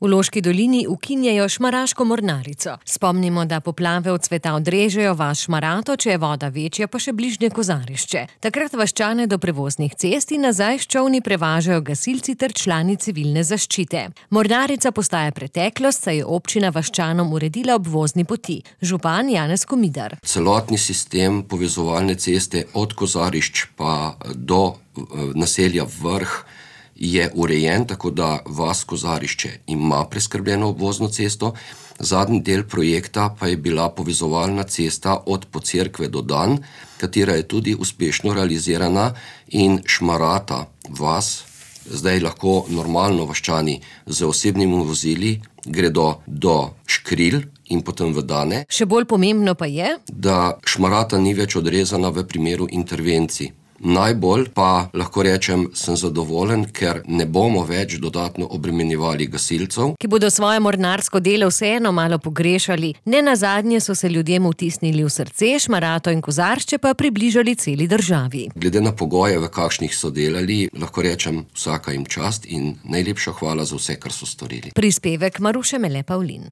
V Loški dolini ukinjajo Šmaraško mornarico. Spomnimo, da poplave od sveta odrežejo vas Šmarato, če je voda večja, pa še bližnje Kozarišče. Takrat vaščane do prevoznih cest in nazaj s čolni prevažajo gasilci ter člani civilne zaščite. Mornarica postaja preteklost, saj je občina vaščanom uredila obvozni poti. Župan Janez Komidar. Celotni sistem povezovalne ceste od Kozarišč pa do naselja Vrh je urejen, tako da vas Kozarišče ima preskrbljeno obvozno cesto. Zadnji del projekta pa je bila povezovalna cesta od Pocerkve do Dan, katera je tudi uspešno realizirana in Šmarata vas zdaj lahko normalno vaščani z osebnimi vozili gredo do Škril in potem v Dane. Še bolj pomembno pa je, da Šmarata ni več odrezana v primeru intervencij. Najbolj pa lahko rečem, sem zadovoljen, ker ne bomo več dodatno obremenjevali gasilcev, ki bodo svoje mornarsko delo vseeno malo pogrešali. Nenazadnje so se ljudem vtisnili v srce, Šmarato in Kozaršče pa približali celi državi. Glede na pogoje, v kakšnih so delali, lahko rečem, vsaka jim čast in najlepša hvala za vse, kar so storili. Prispevek Maruše Mele Pavlin.